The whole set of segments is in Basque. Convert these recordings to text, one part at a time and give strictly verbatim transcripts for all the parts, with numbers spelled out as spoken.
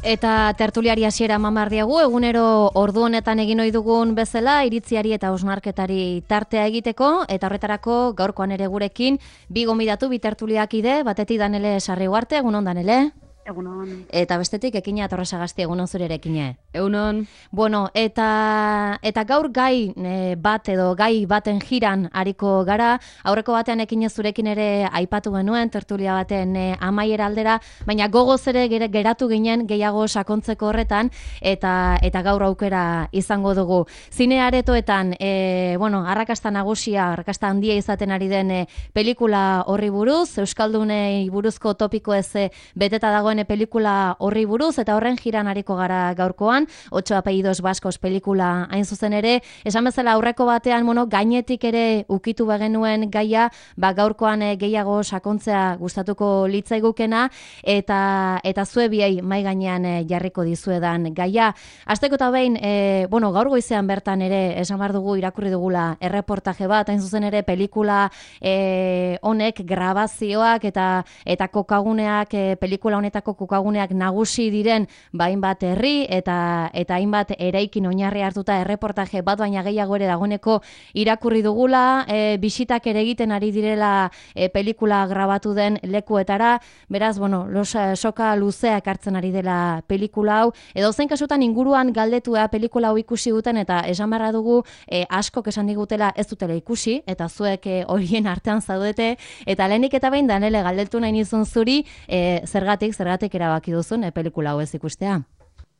Eta tertuliari hasiera eman behar diegu, egunero ordu honetan egin ohi dugun bezala, iritziari eta hausnarketari tartea egiteko, eta horretarako gaurkoan ere gurekin, bi gonbidatu, bi tertuliakide, batetik Danele Sarriugarte, egunon Danele? Egunon. Eta bestetik Ekina Torresagasti, egunon zure ere Ekine. Egunon. Bueno, eta eta gaur gai e, bat edo gai baten jiran ariko gara, aurreko batean Ekine zurekin ere aipatu genuen, tertulia baten e, amaiera aldera, baina gogoz ere gere, geratu ginen gehiago sakontzeko horretan, eta eta gaur aukera izango dugu. Zine aretoetan, e, bueno, arrakasta nagusia, arrakasta handia izaten ari den e, pelikula horri buruz, Euskaldunei buruzko topiko ez e, beteta dago pelikula horri buruz, eta horren jiran ariko gara gaurkoan, Ocho apellidos vascos pelikula hain zuzen ere, esan bezala aurreko batean, bueno, gainetik ere ukitu bagenuen gaia, ba gaurkoan e, gehiago sakontzea gustatuko litzaigukena, eta eta zue biei mai gainean e, jarriko dizuedan gaia. Hasteko eta behin, e, bueno, gaur goizean bertan ere, esan behar dugu irakurri dugula erreportaje bat, hain zuzen ere pelikula e, honek grabazioak eta eta kokaguneak e, pelikula honetan kokaguneak nagusi diren hainbat herri eta eta hainbat eraikin oinarri hartuta erreportaje bat baina gehiago ere dagoeneko irakurri dugula, e, bisitak ere egiten ari direla e, pelikula grabatu den lekuetara, beraz, bueno, los, soka luzeak hartzen ari dela pelikula hau, edo zen kasutan inguruan galdetua pelikula hau ikusi duten eta esan barra dugu e, askok esan digutela ez dutela ikusi, eta zuek e, horien artean zaudete, eta lehenik eta behin Danele galdetu nahi nizun zuri, e, zergatik, zergatik Zergatik erabaki duzun, e, pelikula hau ez ikustea?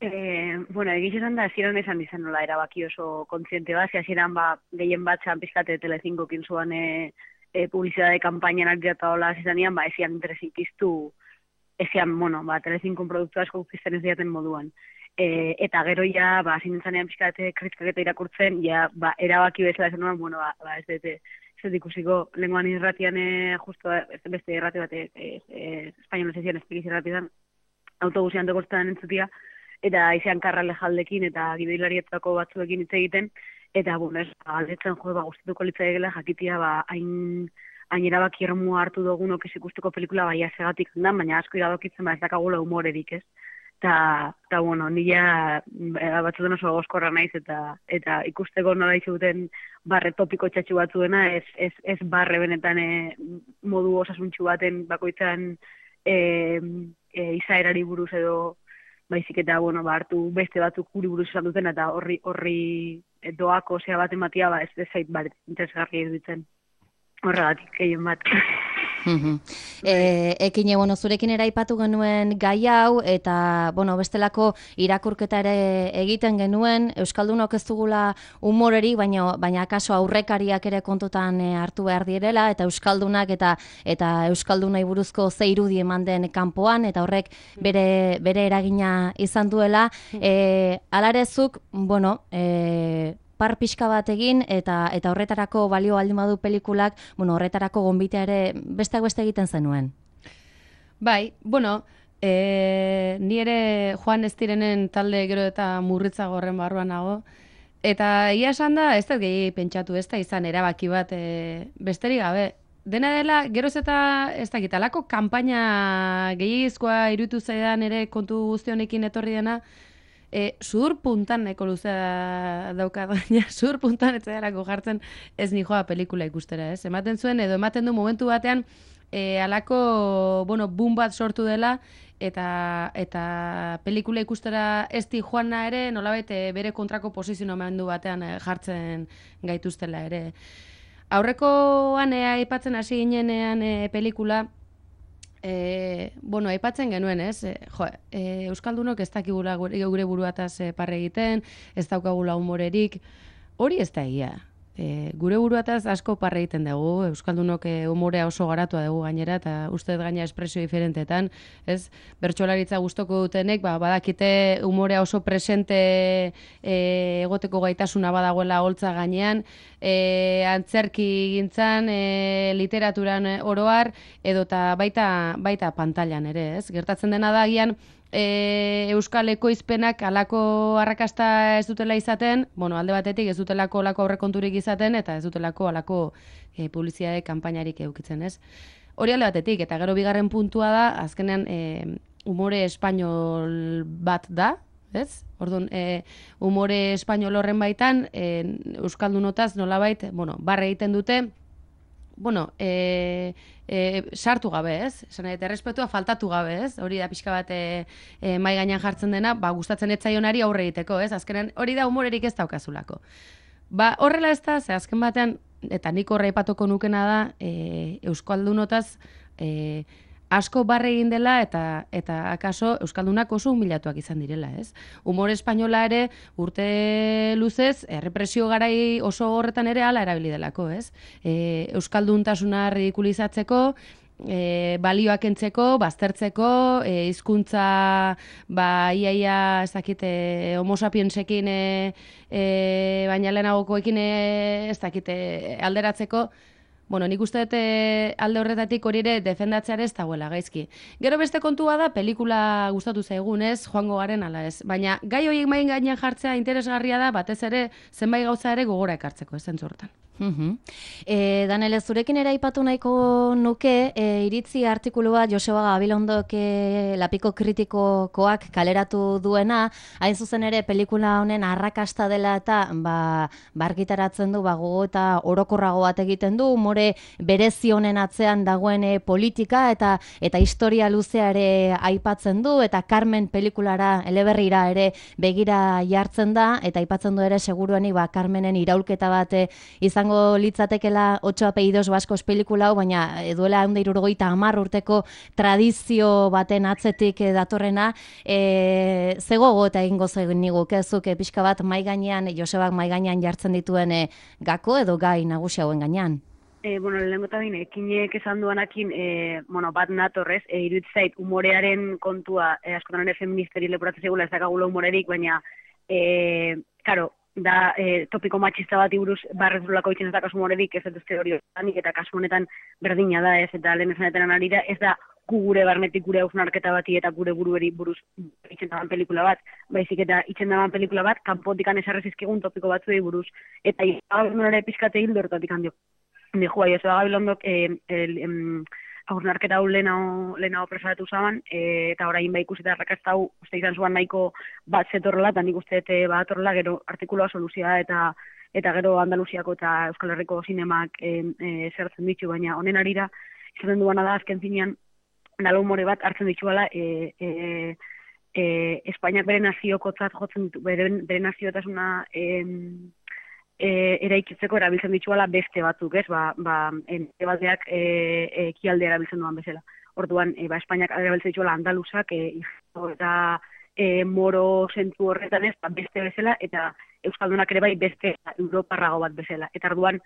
Eh, bueno, egiz esan da, hasieran esan izan nola erabaki oso kontziente bat, hasieran ba, gehien bat zan pizkate Telecinco kinzuan e, e, publizidade kampainan argirata hola zizanian, ba, ezian interesik iztu, ezian, bueno, ba, Telecinco produktu asko pizten ez diaten moduan. E, eta gero ja, ba, zinentzanean pizkate kritikaketa irakurtzen, ja, ba, erabaki bezala esan nuen, bueno, ba, ba ez dute, ez dut ikusiko, lenguan irratian e, justo, ez beste irrati bat, e, e, e, espainolez ezian espikiz irratian, autobusian tegostetan entzutia, eta izan karrale jaldekin eta gidoilarietako batzuekin hitz egiten, eta, bueno, ez, aldetzen jo, ba, guztituko litzaigela jakitia, ba, hain, hain erabaki ermua hartu dugunok ez ikusteko pelikula baia segatik da, baina asko iradokitzen, ba, ez dakagula humorerik, ez? Eta, eta, bueno, nila batzuten oso gozkorra naiz, eta eta ikusteko nola izuten barre topiko txatxu batzuena, ez, ez, ez barre benetan e, modu osasuntxu baten bakoitzan e, e, izaerari buruz edo baizik eta, bueno, ba, hartu beste batzuk guri buruz esan duten, eta horri, horri doako zea bat ematia, ba, ez zait bat interesgarri edutzen. Horregatik, gehien bat. e, Ekine, bueno, zurekin ere aipatu genuen gai hau, eta, bueno, bestelako irakurketa ere egiten genuen, Euskaldunok ez dugula humorerik, baina, baina akaso aurrekariak ere kontutan e, hartu behar direla, eta Euskaldunak eta eta Euskaldunai buruzko ze irudi eman den kanpoan, eta horrek bere, bere eragina izan duela. E, alarezuk, bueno, e, par pixka bat egin, eta eta horretarako balio baldin badu pelikulak, bueno, horretarako gonbitea ere besteak beste egiten zenuen. Bai, bueno, e, ni ere Joan ez direnen talde gero eta murritzago horren barruan nago, eta ia esan da, ez da gehi pentsatu, ez da izan erabaki bat e, besterik gabe. Dena dela, geroz eta ez da gitalako kanpaina gehiagizkoa irutu zaidan ere kontu guzti honekin etorri dena, E, sudur puntan neko luzea dauka, baina sudur puntan ez zailako jartzen ez nijoa pelikula ikustera, ez? Ematen zuen, edo ematen du momentu batean e, alako, bueno, boom bat sortu dela, eta eta pelikula ikustera ez di joana ere, nolabait e, bere kontrako posizionamendu batean e, jartzen gaituztela ere. Aurrekoan e, aipatzen hasi ginenean e, pelikula, E, bueno, aipatzen genuen, ez? E, jo, e, Euskaldunok ez dakigula gure, gure buruataz e, parre egiten, ez daukagula humorerik, hori ez da egia. E, gure buruataz asko parre egiten dugu, Euskaldunok e, humorea oso garatua dugu gainera, eta uste gaina espresio diferentetan, ez? Bertsolaritza gustoko dutenek, ba, badakite humorea oso presente e, egoteko gaitasuna badagoela holtza gainean, e, antzerki gintzan, e, literaturan oroar, edota baita, baita pantailan ere, ez? Gertatzen dena da agian, E, Euskal ekoizpenak alako arrakasta ez dutela izaten, bueno, alde batetik ez dutelako alako aurrekonturik izaten, eta ez dutelako alako e, publizitate kanpainarik eukitzen, ez? Hori alde batetik, eta gero bigarren puntua da, azkenean e, umore espainol bat da, ez? Orduan, e, umore espainol horren baitan, e, euskaldunotaz nolabait, bueno, barre egiten dute, bueno, e, e, sartu gabe, ez? Esan nahi, errespetua faltatu gabe, ez? Hori da pixka bat e, e, mai gainean jartzen dena, ba, gustatzen etzaionari aurre egiteko, ez? Azkenan hori da umorerik ez daukazulako. Ba, horrela ez da, ze azken batean, eta nik horre ipatuko nukena da, e, euskaldunotaz e, asko barre egin dela eta eta akaso euskaldunak oso humilatuak izan direla, ez? Umore espainola ere urte luzez errepresio garai oso horretan ere hala erabili delako, ez? E, euskalduntasuna ridikulizatzeko, e, balioak entzeko, baztertzeko, e, hizkuntza ba iaia ez dakite homo sapiensekin e, e, baina lehenagokoekin e, ez dakite alderatzeko. Bueno, nik uste dut alde horretatik hori ere defendatzeare ez dagoela gaizki. Gero beste kontua da, pelikula gustatu zaigun, ez, joango garen ala ez. Baina gai horiek main gainean jartzea interesgarria da, batez ere zenbait gauza ere gogora ekartzeko, ez zentzu hortan. Uh-huh. E, Danele, zurekin ere aipatu nahiko nuke, e, iritzi artikulua Joseba Gabilondok e, lapiko kritikokoak kaleratu duena, hain zuzen ere pelikula honen arrakasta dela eta ba, bargitaratzen du ba, gogo eta orokorrago bat egiten du, umore berezi honen atzean dagoen e, politika eta eta historia luzea ere aipatzen du, eta Carmen pelikulara eleberrira ere begira jartzen da, eta aipatzen du ere segurueni ba, Carmenen iraulketa bat e, izango litzatekela ocho apellidos baskos pelikula hau, baina duela ehun eta hirurogeita hamar urteko tradizio baten atzetik datorrena, e, ze gogo eta egingo zeniguk, ezuk e, pixka bat mai gainean, Josebak mai gainean jartzen dituen e, gako edo gai nagusi hauen gainean. E, bueno, lehenko eta bine, ekinek esan duanakin, e, bueno, bat natorrez, e, iruditzen zait, umorearen kontua, e, askotan ere feministeri lepuratzen zegula, ez dakagula umorerik, baina, e, karo, da e, topiko matxista bat buruz barrez durlako itzen ez da kasu moredik, ez dut hori horretanik, eta kasu honetan berdina da, ez, eta lehen esanetan arira, ez da gu gure barnetik gure hausnarketa bati eta gure burueri buruz itzen daban pelikula bat, baizik eta itzen daban pelikula bat, kanpotikan esarrezizkigun topiko batzuei buruz, eta ere pizkate hildo horretatik handio. Dijua, Joseba Gabilondok, eh, el, em, hausnarketa hau lehenago presaratu zaban, e, eta orain ba ikusi eta arrakasta hau uste izan zuan nahiko bat zetorrela, eta nik uste eta bat atorrela, gero artikuloa soluzioa eta eta gero Andaluziako eta Euskal Herriko zinemak e, e, zertzen ditu, baina honen arira, izaten duana da azken zinean, nalo humore bat hartzen dituela, e, e, e, Espainiak bere naziokotzat jotzen ditu, bere, bere naziotasuna e, E, eraikitzeko erabiltzen dituala beste batzuk, ez? Ba, ba, ente bateak e, e, ekialde erabiltzen duan bezala. Orduan, e, ba, Espainiak erabiltzen dituala andaluzak, e, eta e, moro zentu horretan ez, ba, beste bezala, eta euskaldunak ere bai beste europarrago bat bezala. Eta orduan,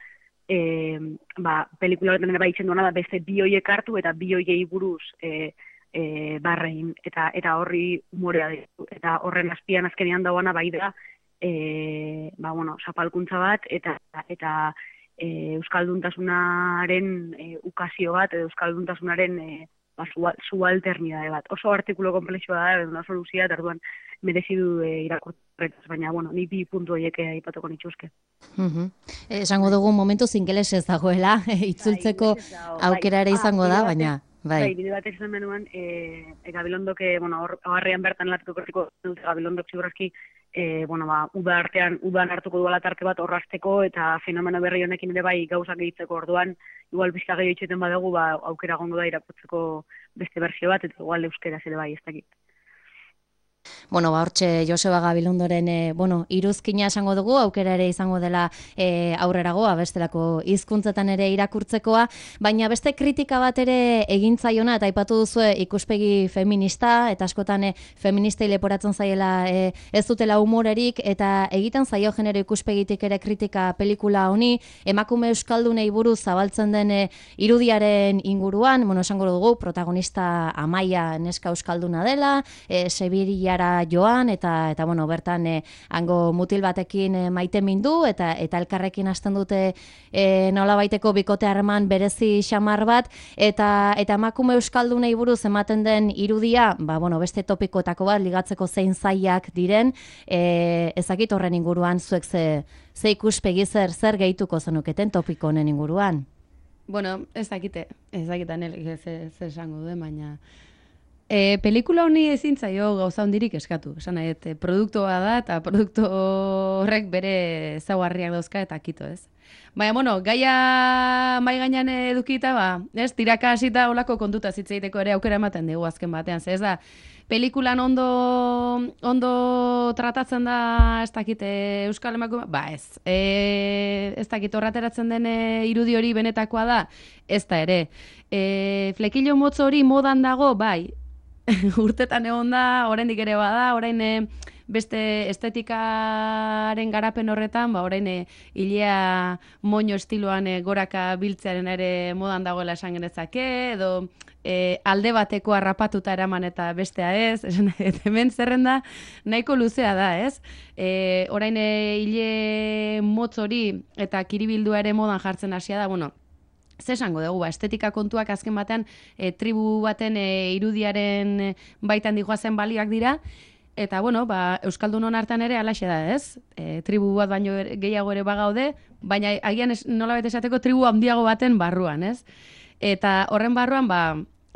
e, ba, pelikula horretan ere bai itzen duana da beste bi hoiek hartu, eta bi hoiei buruz e, e, barrein, eta, eta horri umorea ditu. Eta horren azpian azkenean dauana bai da, E, ba, bueno, zapalkuntza bat eta eta e, euskalduntasunaren e, ukazio bat edo euskalduntasunaren e, ba, subalternidade bat. Oso artikulu komplexua da, edo oso luzia, eta orduan merezi du e, irakurtretaz, baina bueno, ni bi puntu horiek aipatuko nituzke. Uh-huh. E, esango dugu momentu zingeles ez dagoela, itzultzeko aukera ere izango da, baina Bai, bai bide batez izan benuan, e, e, Gabilondok, e, bueno, horrean bertan latuko kortiko dute Gabilondok ziurrazki, e, bueno, ba, uda artean, udan hartuko duela tarte bat horrazteko, eta fenomeno berri honekin ere bai gauzak egitzeko orduan, igual bizka gehiago itxeten badugu, ba, aukera gongo da irakurtzeko beste berzio bat, eta igual euskeraz ere bai, ez dakit. Bueno, ba, hortxe Joseba Gabilondoren e, bueno, iruzkina esango dugu, aukera ere izango dela e, aurreragoa, bestelako hizkuntzetan ere irakurtzekoa, baina beste kritika bat ere egintzaiona, eta aipatu duzue ikuspegi feminista, eta askotan e, feministei leporatzen zaiela e, ez dutela humorerik, eta egiten zaio genero ikuspegitik ere kritika pelikula honi, emakume euskaldunei buruz zabaltzen den e, irudiaren inguruan, bueno, esango dugu, protagonista Amaia neska euskalduna dela, e, Sevilla joan, eta eta bueno, bertan e, hango mutil batekin e, maite mindu, eta eta elkarrekin hasten dute e, nolabaiteko bikote harreman berezi xamar bat, eta eta emakume euskaldunei buruz ematen den irudia, ba bueno, beste topikoetako bat ligatzeko zein zailak diren, e, ezakit horren inguruan zuek ze ze ikuspegi zer zer gehituko zenuketen topiko honen inguruan. Bueno, ez dakite, ez dakitan ez esango duen, baina E, pelikula honi ezin zaio gauza hondirik eskatu. Esan nahi, et, produktua da eta produktu horrek bere ezaugarriak dauzka eta kito, ez? Baina, bueno, gaia mai gainean edukita, ba, ez, tiraka hasita olako kontuta zitzeiteko ere aukera ematen dugu azken batean, ze ez da, pelikulan ondo ondo tratatzen da, ez dakit, Euskal Emakume, ba ez, e, ez dakit horrateratzen den irudi hori benetakoa da, ez da ere. E, flekilo motz hori modan dago, bai, urtetan egon da, oraindik ere bada, orain e, beste estetikaren garapen horretan, ba orain e, ilea moño estiloan e, goraka biltzearen ere modan dagoela esan genezake, edo e, alde bateko harrapatuta eraman eta bestea ez, esan, hemen zerrenda nahiko luzea da, ez? E, orain e, ile motz hori eta kiribildua ere modan jartzen hasia da, bueno, ze esango dugu, ba, estetika kontuak azken batean e, tribu baten e, irudiaren baitan dijoazen balioak dira, eta, bueno, ba, Euskaldunon artean ere alaxe da, ez? E, tribu bat baino gehiago ere bagaude, baina agian nolabait esateko tribu handiago baten barruan, ez? Eta horren barruan, ba,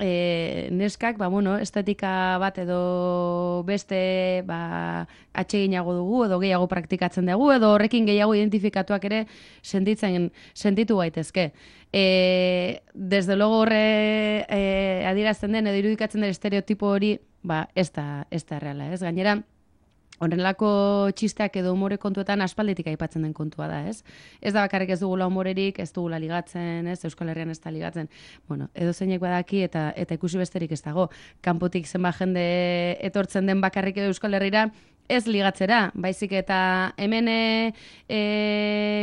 e, neskak, ba, bueno, estetika bat edo beste ba, atseginago dugu, edo gehiago praktikatzen dugu, edo horrekin gehiago identifikatuak ere sentitzen, sentitu gaitezke. E, desde logo horre e, adierazten den, edo irudikatzen den estereotipo hori, ba, ez da, ez da erreala, ez? Gainera, horrelako txisteak edo umore kontuetan aspalditik aipatzen den kontua da, ez? Ez da bakarrik ez dugula umorerik, ez dugula ligatzen, ez? Euskal Herrian ez da ligatzen. Bueno, edo zeinek badaki eta eta ikusi besterik ez dago. Kanpotik zenba jende etortzen den bakarrik edo Euskal Herrira, ez ligatzera, baizik eta hemen e, e,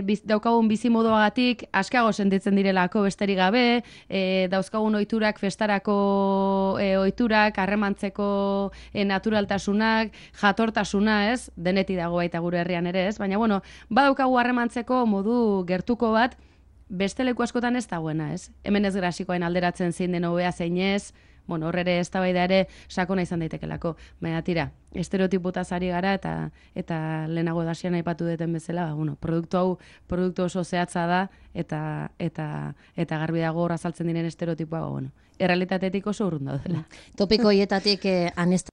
biz, daukagun bizimoduagatik askago sentitzen direlako besterik gabe, e, dauzkagun ohiturak festarako e, ohiturak, harremantzeko e, naturaltasunak, jatortasuna, ez? Denetik dago baita gure herrian ere, ez? Baina, bueno, badaukagu harremantzeko modu gertuko bat, beste leku askotan ez dagoena, ez? Hemen ez grasikoen alderatzen zein den hobea zein ez, bueno, horre ere eztabaida ere sakona izan daitekelako. Baina tira, estereotipotaz ari gara eta eta lehenago dasian aipatu duten bezala, ba, bueno, produktu hau produktu oso zehatza da eta eta eta garbi dago hor azaltzen diren estereotipoa, ba, bueno, errealitatetik oso urrun daudela. Topiko hietatik eh, anest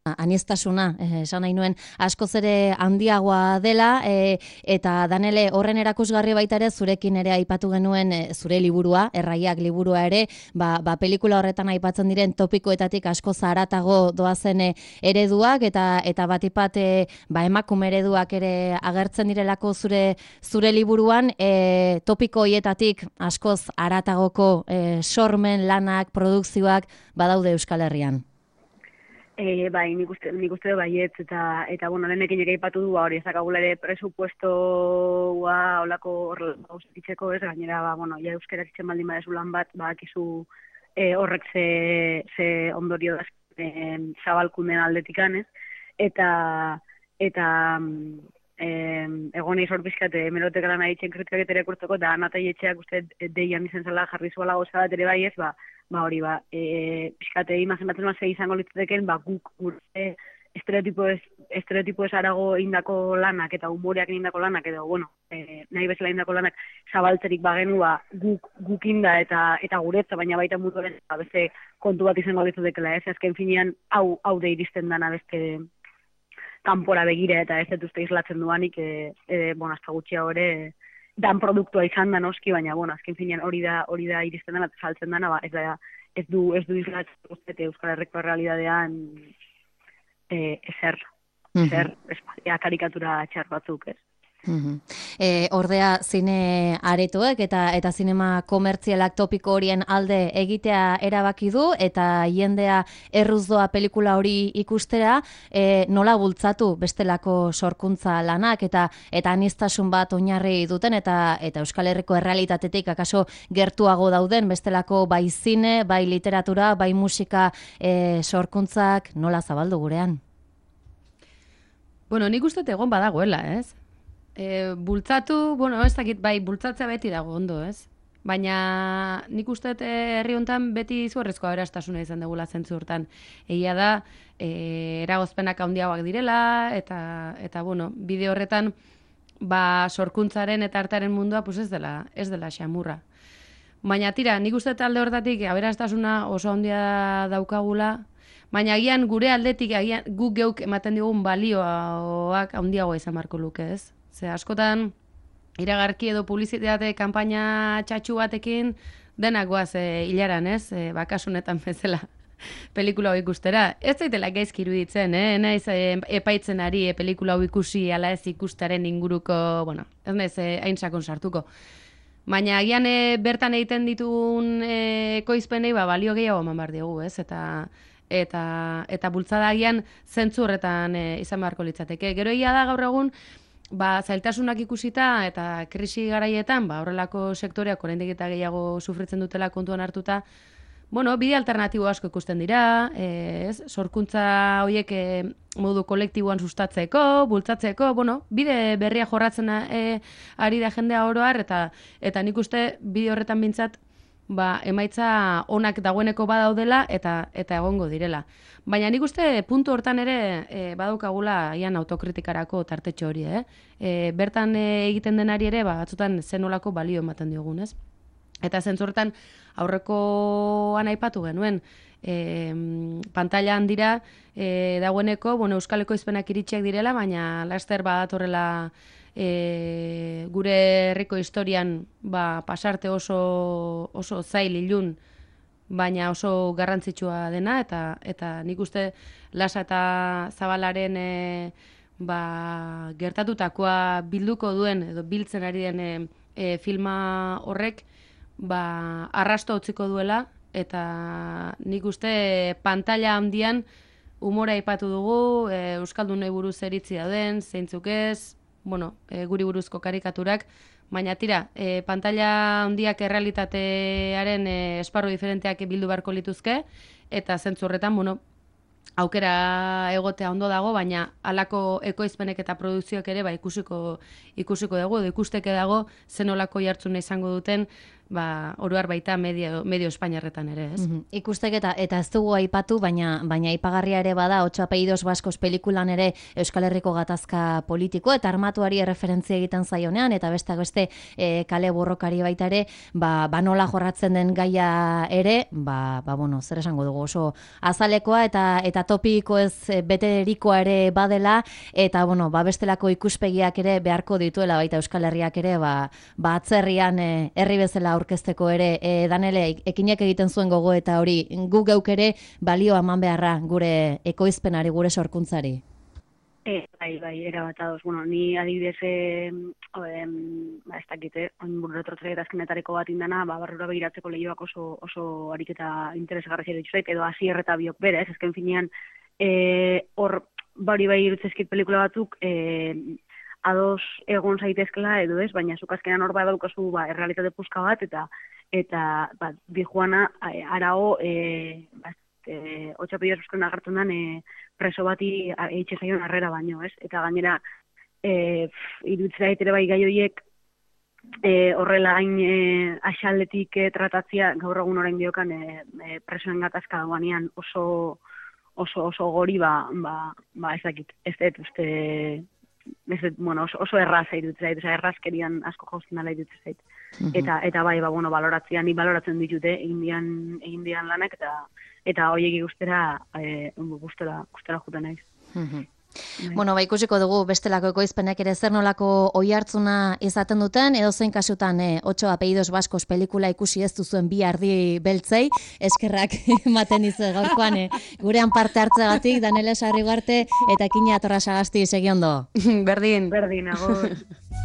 Aniestasuna, eh, esan nahi nuen, askoz ere handiagoa dela, eh, eta Danele horren erakusgarri baita ere zurekin ere aipatu genuen eh, zure liburua, Erraiak liburua ere, ba, ba pelikula horretan aipatzen diren topikoetatik askoz haratago doazen eh, ereduak, eta eta batipat eh, ba, emakume ereduak ere agertzen direlako zure zure liburuan, eh, topiko hietatik askoz haratagoko eh, sormen, lanak, produkzioak badaude Euskal Herrian. E, bai, nik uste, nik uste baietz, eta, eta bueno, lehenekin ere aipatu du, hori ezakagula ere presupuestoa olako horrela ustitzeko, ez, gainera, ba, bueno, ja euskarak itzen baldin badezu lan bat, ba, akizu e, horrek ze, ze ondorio da e, zabalkunden aldetikan, ez, eta, eta e, egon eiz hor bizkate, merotek lan aditzen kritikak ere kurtzeko, da natai etxeak uste deian izen zela jarri zuela goza bat ere bai ez, ba, ba hori ba, e, pixkate imazen batzen mazei izango litzateken, ba guk gure estereotipo ez, estereotipo ez arago indako lanak eta humoreak indako lanak edo, bueno, e, nahi bezala indako lanak zabaltzerik bagenu, ba guk, guk inda eta eta guretza, baina baita mutuaren ba, beste kontu bat izango litzatekela, ez, azken finean hau, hau de iristen dana beste kanpora begira eta ez dut uste islatzen duanik, e, e, bueno, hasta gutxia hori, dan produktua izan da noski, baina, bueno, azken finean hori da hori da iristen dena, saltzen dena, ba, ez, da, ez du ez du islatzen uste, Euskal Herriko realidadean e, ezer, ezer, uh-huh. ez, karikatura txar batzuk, ez. Uh-huh. E, ordea zine aretoek eta eta zinema komertzialak topiko horien alde egitea erabaki du eta jendea erruz doa pelikula hori ikustera, e, nola bultzatu bestelako sorkuntza lanak eta eta anistasun bat oinarri duten eta eta Euskal Herriko errealitatetik akaso gertuago dauden bestelako bai zine, bai literatura, bai musika e, sorkuntzak nola zabaldu gurean? Bueno, nik uste egon badagoela, ez? E, bultzatu, bueno, ez dakit, bai, bultzatzea beti dago ondo, ez? Baina nik uste herri honetan beti izugarrizko aberastasuna izan degula zentzu hortan. Egia da, e, eragozpenak handiagoak direla, eta, eta bueno, bide horretan, ba, sorkuntzaren eta artearen mundua, pues ez dela, ez dela xamurra. Baina tira, nik uste talde hortatik aberastasuna oso handia daukagula, Baina agian gure aldetik agian guk geuk ematen digun balioak handiagoa izan beharko luke, ez? Ze askotan iragarki edo publizitate kanpaina txatxu batekin denak goaz e, hilaran, ez? E, bakasunetan bezala pelikula hau ikustera. Ez zaitela gaizki iruditzen, eh? Naiz e, epaitzen ari e, pelikula hau ikusi ala ez ikustaren inguruko, bueno, ez naiz e, hain sakon sartuko. Baina agian e, bertan egiten ditugun e, ekoizpenei ba, balio gehiago eman behar diogu, ez? Eta eta eta bultzada agian zentzu horretan e, izan beharko litzateke. Gero egia da gaur egun ba, zailtasunak ikusita eta krisi garaietan, ba, horrelako sektoreak oraindik eta gehiago sufritzen dutela kontuan hartuta, bueno, bide alternatibo asko ikusten dira, ez? Sorkuntza horiek e, modu kolektiboan sustatzeko, bultzatzeko, bueno, bide berria jorratzen e, ari da jendea oro har, eta, eta nik uste bide horretan bintzat, ba, emaitza onak dagoeneko badaudela eta eta egongo direla. Baina nik uste puntu hortan ere e, badaukagula ian autokritikarako tartetxo hori, eh? E, bertan e, egiten denari ere, ba, batzutan zenolako balio ematen diogun, ez? Eta zentzortan aurrekoan aipatu genuen, e, pantailan dira e, dagoeneko, bueno, Euskal Ekoizpenak iritsiak direla, baina laster badatorrela e, gure herriko historian ba, pasarte oso, oso zail ilun, baina oso garrantzitsua dena, eta eta nik uste Lasa eta Zabalaren e, ba, gertatutakoa bilduko duen, edo biltzen ari den e, e, filma horrek, ba, arrasto utziko duela, eta nik uste pantalla handian umora aipatu dugu, e, Euskaldunei buruz eritzi dauden, zeintzuk ez, bueno, e, guri buruzko karikaturak, baina tira, e, pantalla handiak errealitatearen e, esparru diferenteak bildu beharko lituzke, eta zentzu horretan, bueno, aukera egotea ondo dago, baina halako ekoizpenek eta produkzioak ere ba, ikusiko, ikusiko dugu, edo ikusteke dago zenolako jartzuna izango duten, ba, oroar baita medio, medio Espainiarretan ere, ez? Mm-hmm. Ikustek eta, eta ez dugu aipatu, baina baina aipagarria ere bada, Otso apellidos baskos pelikulan ere Euskal Herriko gatazka politiko, eta armatuari erreferentzia egiten zaionean, eta besteak beste e, kale borrokari baita ere, ba, ba nola jorratzen den gaia ere, ba, ba bueno, zer esango dugu, oso azalekoa eta eta topiko ez beterikoa ere badela, eta bueno, ba bestelako ikuspegiak ere beharko dituela baita Euskal Herriak ere, ba, ba atzerrian e, herri bezala aurkezteko ere, e, Danele, ekinek egiten zuen gogo eta hori, gu geuk ere balio eman beharra gure ekoizpenari, gure sorkuntzari. E, bai, bai, erabat ados. Bueno, ni adibidez, eh, ba, ez dakite, oin burretrotzea eta azkenetareko bat indana, ba, barrura begiratzeko lehioak oso, oso ariketa interesgarra zire dituzait, edo hasier eta biok bere, ez, ezken finean, hor, e, bari bai irutzezkit pelikula batzuk, e, ados egon zaitezkela edo ez, baina zuk azkenan hor badaukazu ba, errealitate puska bat, eta eta ba, Dijuana arao e, ba, e, Otso apellidos baskon agertzen den e, preso bati eitxe zaion harrera baino, ez? Eta gainera e, iruditzera ere bai gai horiek e, horrela hain e, axaldetik e, tratatzia gaur egun orain diokan e, e, presoen gatazka dagoanean oso oso oso gori ba, ba, ba ez dakit, ez dut uste Ez, bueno, oso, oso erraza iruditzen zait, errazkerian asko jausten dela iruditzen zait. Uh-huh. Eta, eta bai, ba, bueno, baloratzea, ni baloratzen ditute, egin dian, egin dian lanak, eta eta horiek ikustera, e, gustera, gustera juten naiz. Uh-huh. Bueno, ba, ikusiko dugu bestelako ekoizpenek ere zer nolako oihartzuna izaten duten, edo zein kasutan eh, Otso apellidos baskos pelikula ikusi ez duzuen bi ardi beltzei, eskerrak ematen dizu gaurkoan eh, gurean parte hartzeagatik, Danele Sarrigarte eta Kina Torrasagasti segiondo. Berdin. Berdin, agur.